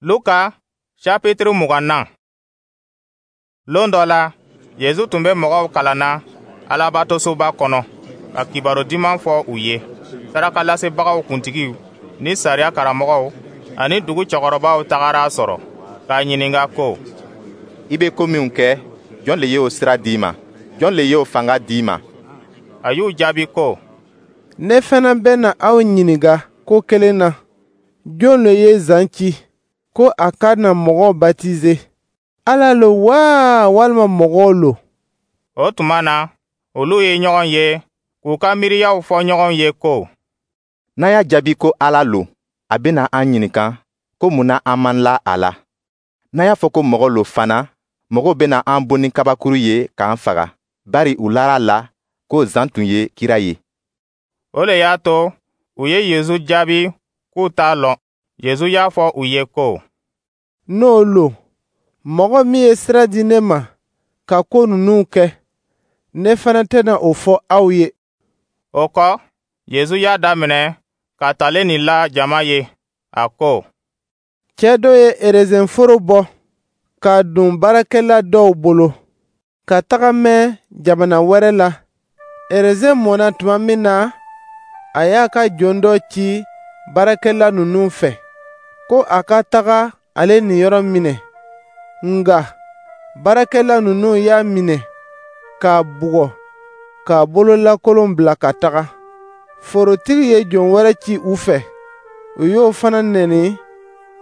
Luka chapitre 20nan. Lon dɔ la, Yezu tun bɛ mɔgɔw kalanna Alabatosoba kɔnɔ, ka kibaru diman fɔ u ye. Sarakalasebagaw kuntigiw ni sariya karamɔgɔw ani dugu cɛkɔrɔbaw tagara a sɔrɔ k'a ɲininka ko: «I bɛ ko minw kɛ, jɔn le ye o sira di i ma? Jɔn le ye o fanga di i ma?» A y'u jaabi ko: «Ne fana bɛna aw ɲininka ko kelen na. Jɔn le ye Zan ci ko a ka na mɔgɔw batize? Ala lo wa, walima mɔgɔw lo?» O tuma na, olu ye ɲɔgɔn ye k'u ka miiriyaw fɔ ɲɔgɔn ye ko: «N'an y'a jaabi ko Ala lo, a bɛna an ɲininka ko mun na an man la a la. N'an y'a fɔ ko mɔgɔ lo fana, mɔgɔw bɛna an bon ni kabakuru ye k'an faga, bari u lara a la ko Zan tun ye kira ye.» O le y'a to u ye Yezu jaabi k'u t'a lɔn. Yezu y'a fɔ u ye ko: «N'o lo, mɔgɔ min ye sira di ne ma ka ko ninnu kɛ, ne fana tɛna o fɔ aw ye.» O kɔ, Yezu y'a daminɛ ka talen nin la jama ye, a ko: «Cɛ dɔ ye erezenforo bɔ k'a don baarakɛla dɔw bolo, ka taga mɛn jamana wɛrɛ la. Erezen mɔna tuma min na, a y'a ka jɔn dɔ ci baarakɛla ninnu fɛ, ko a ka taga ale niyɔrɔ minɛ. Nka baarakɛla ninnu y'a minɛ k'a bugɔ, k'a bololakolon bila ka taga. Forotigi ye jɔn wɛrɛ ci u fɛ, u y'o fana nɛni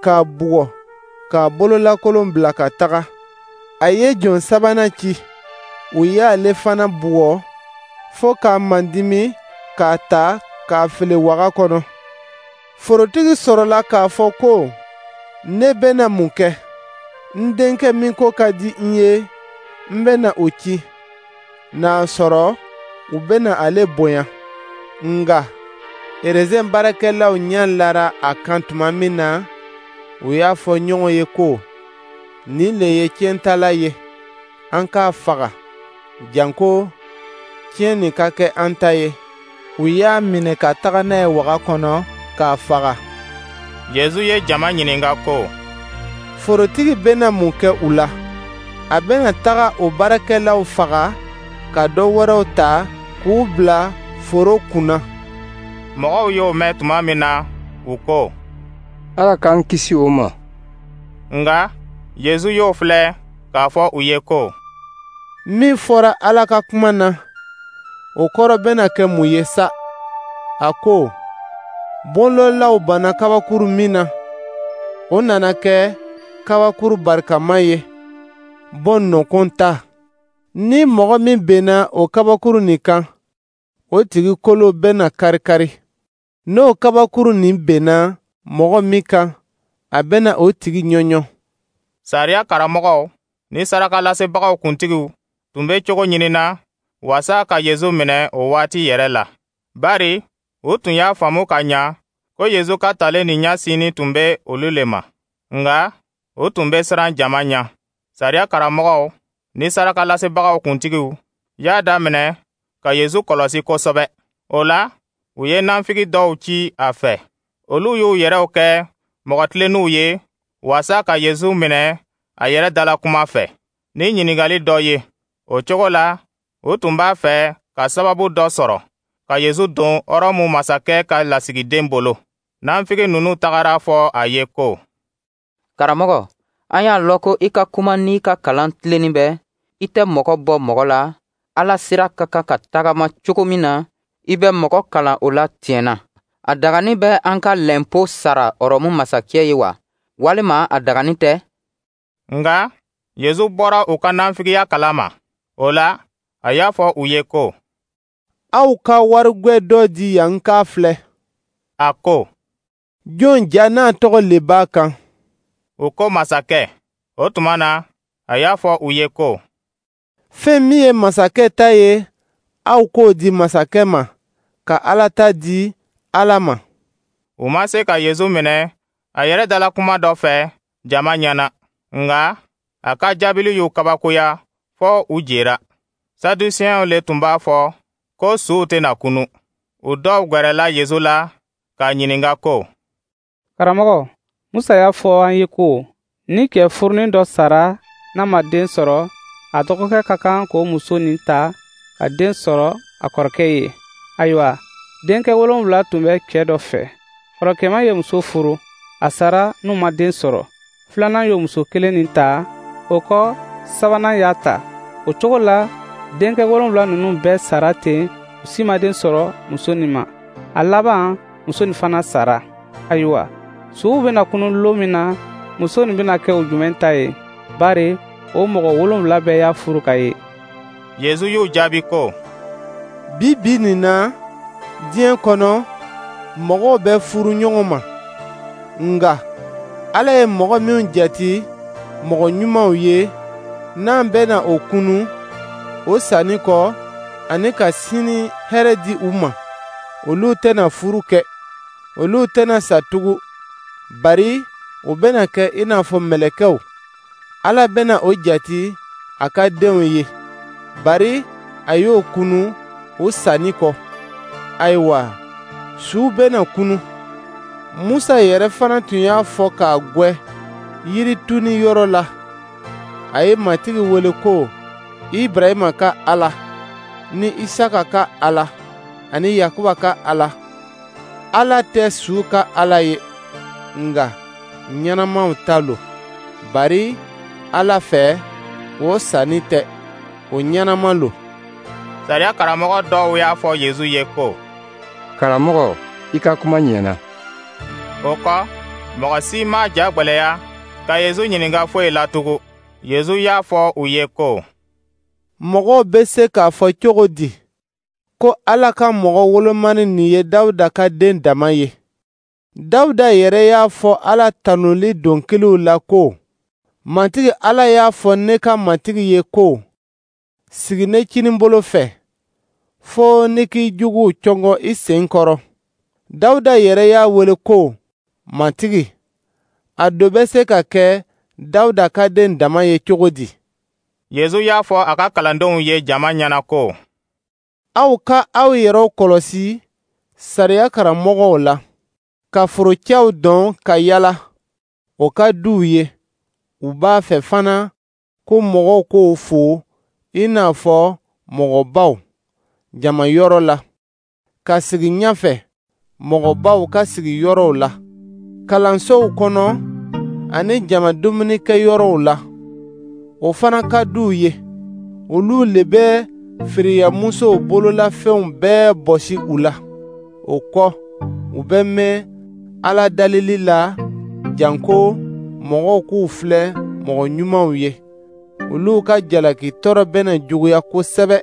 k'a bugɔ, k'a bololakolon bila ka taga. A ye jɔn sabanan ci, u y'ale fana bugɔ fo k'a mandimi k'a ta k'a fili waga kɔnɔ. Forotigi sɔrɔla k'a fɔ ko: Ne bɛna mun kɛ? N denkɛ min ko ka di n ye, n bɛna o ci. N'a sɔrɔ u bɛna ale bonya. Nka erezen baarakɛlaw ɲɛ lara a kan tuma min na, u y'a fɔ ɲɔgɔn ye ko: Nin le ye tiɲɛtala ye, an k'a faga, janko tiɲɛ nin ka kɛ an ta ye. U y'a minɛ ka taga n'a ye waga kɔnɔ k'a faga. Yezu ye jama ɲininka ko: Forotigi bɛna mun kɛ u la? A bɛna taga o baarakɛlaw faga ka dɔ wɛrɛw ta k'u bila foro kunna.» Mɔgɔw y'o mɛn tuma min na, u ko: «Ala k'an kisi o ma.» Nka Yezu y'o filɛ k'a fɔ u ye ko: «Min fɔra Ala ka kuma na, o kɔrɔ bɛna kɛ mun ye sa? A ko: Bonlɔlaw banna kabakuru min na, o nana kɛ kabakuru barikama ye, bɔn nɔkɔn ta. Ni mɔgɔ min benna o kabakuru nin kan, o tigi kolo bɛna kari-kari. N'o kabakuru nin benna mɔgɔ min kan, a bɛna o tigi ɲɔɲɔ.» Sariya karamɔgɔw ni sarakalasebagaw kuntigiw tun bɛ cogo ɲinina waasa ka Yezu minɛ o waati yɛrɛ la, bari u tun y'a faamu ka ɲa ko Yezu ka talen nin ɲa sini tun bɛ olu le ma. Nka u tun bɛ siran jama ɲa. Sariya karamɔgɔw ni sarakalasebagaw kuntigiw y'a daminɛ ka Yezu kɔlɔsi kosɛbɛ. O la, u ye nafigi dɔw ci a fɛ. Olu y'u yɛrɛw kɛ mɔgɔ tilenninw ye waasa ka Yezu minɛ a yɛrɛ dalakuma fɛ ni ɲininkali dɔ ye. O cogo la, u tun b'a fɛ ka sababu dɔ sɔrɔ ka Yezu don Ɔrɔmu masakɛ ka lasigiden bolo. Nafigi ninnu tagara fɔ a ye ko: «Karamɔgɔ, an y'a lɔn ko i ka kuma n'i ka kalan tilennin bɛ, i tɛ mɔgɔ bɔ mɔgɔ la, Ala sira ka kan ka tagama cogo min na, i bɛ mɔgɔ kalan o la tiɲɛ na. A dagani bɛ an ka lɛnpo sara Ɔrɔmu masakɛ ye wa, walima a dagani tɛ?» Nka Yezu bɔra u ka nafigiya kalama. O la, a y'a fɔ u ye ko: «Aw ka warigwɛ dɔ di yan n k'a filɛ.» A ko: «Jɔn ja n'a tɔgɔ le b'a kan?» U ko masakɛ. O tuma na, a y'a fɔ u ye ko: «Fɛn min ye masakɛ ta ye, aw k'o di masakɛ ma, ka Ala ta di Ala ma.» U ma se ka Yezu minɛ a yɛrɛ dalakuma dɔ fɛ jama ɲɛna, nka a ka jaabili y'u kabakoya fɔ u jera. Sadusiyɛnw le tun b'a fɔ ko suw tɛna kunu. U dɔw gwɛrɛla Yezu la k'a ɲininka ko: «Karamɔgɔ, Musa y'a fɔ an ye ko ni cɛ furunin dɔ sara n'a ma den sɔrɔ, a dɔgɔkɛ ka kan k'o muso nin ta ka den sɔrɔ a kɔrɔkɛ ye. Ayiwa, denkɛ 7 tun bɛ cɛ dɔ fɛ. Kɔrɔkɛma ye muso furu, a sara n'u ma den sɔrɔ. Filanan y'o muso kelen nin ta, o kɔ sabanan y'a ta. O cogo la, denkɛ 7 ninnu bɛɛ sara ten, u si ma den sɔrɔ muso nin ma. A laban, muso nin fana sara. Ayiwa, suw bɛna kunun lon min na, muso nin bɛna kɛ o jumɛn ta ye? Bari o mɔgɔ 7 bɛɛ y'a furu ka ye. Yezu y'u jaabi ko: Bi bi nin na, diɲɛ kɔnɔ, mɔgɔw bɛ furu ɲɔgɔn ma. Nka Ala ye mɔgɔ minw jate mɔgɔ ɲumanw ye, n'an bɛna o kunu, o sanni kɔ, ani ka sini hɛrɛ di u ma, olu tɛna furu kɛ, olu tɛna sa tugun, bari u bɛna kɛ i n'a fɔ mɛlɛkɛw. Ala bɛna o jate a ka denw ye, bari a y'o kunu o sanni kɔ. Ayiwa, suw bɛna kunu. Musa yɛrɛ fana tun y'a fɔ k'a gwɛ yirituni yɔrɔ la. A ye Matigi wele ko Ibrahima ka Ala, ni Isaka ka Ala, ani Yakuba ka Ala. Ala tɛ su ka Ala ye, nka ɲɛnamaw ta lo. Bari Ala fɛ, o sanni tɛ, o ɲɛnama lo. Sariya karamɔgɔ dɔw y'a fɔ Yezu ye ko: Karamɔgɔ, i ka kuma ɲɛna. O kɔ, mɔgɔ si m'a ja gwɛlɛya ka Yezu ɲininka foyi la tugun. Yezu y'a fɔ u ye ko: Mɔgɔw bɛ se k'a fɔ cogo di ko Ala ka mɔgɔ wolomani nin ye Dawuda ka den dama ye? Dawuda yɛrɛ y'a fɔ Ala tanuli dɔnkiliw la ko: Matigi Ala y'a fɔ ne ka Matigi ye ko: Sigi ne kininbolo fɛ, fo ne k'i juguw cɔngɔ i sen kɔrɔ. Dawuda yɛrɛ y'a wele ko Matigi. A do bɛ se ka kɛ Dawuda ka den dama ye cogo di? Yezu y'a fɔ a ka kalandenw ye jama ɲɛna ko: Aw ka aw yɛrɛw kɔlɔsi sariya karamɔgɔw la, ka forocɛw dɔn ka yala, o ka d'u ye. U b'a fɛ fana ko mɔgɔw k'o fo i n'a fɔ mɔgɔbaw jama yɔrɔ la, ka sigi ɲɛfɛ mɔgɔbaw ka sigi yɔrɔw la, kalansow kɔnɔ ani jama dumunikɛyɔrɔw la. O fana ka d'u ye. Olu le bɛ firiyamusow bololafɛnw bɛɛ bɔsi u la. O kɔ, u bɛ mɛn Ala dalili la janko mɔgɔw k'u filɛ mɔgɔ ɲumanw ye. Olu ka jalaki tɔɔrɔ bɛna juguya kosɛbɛ.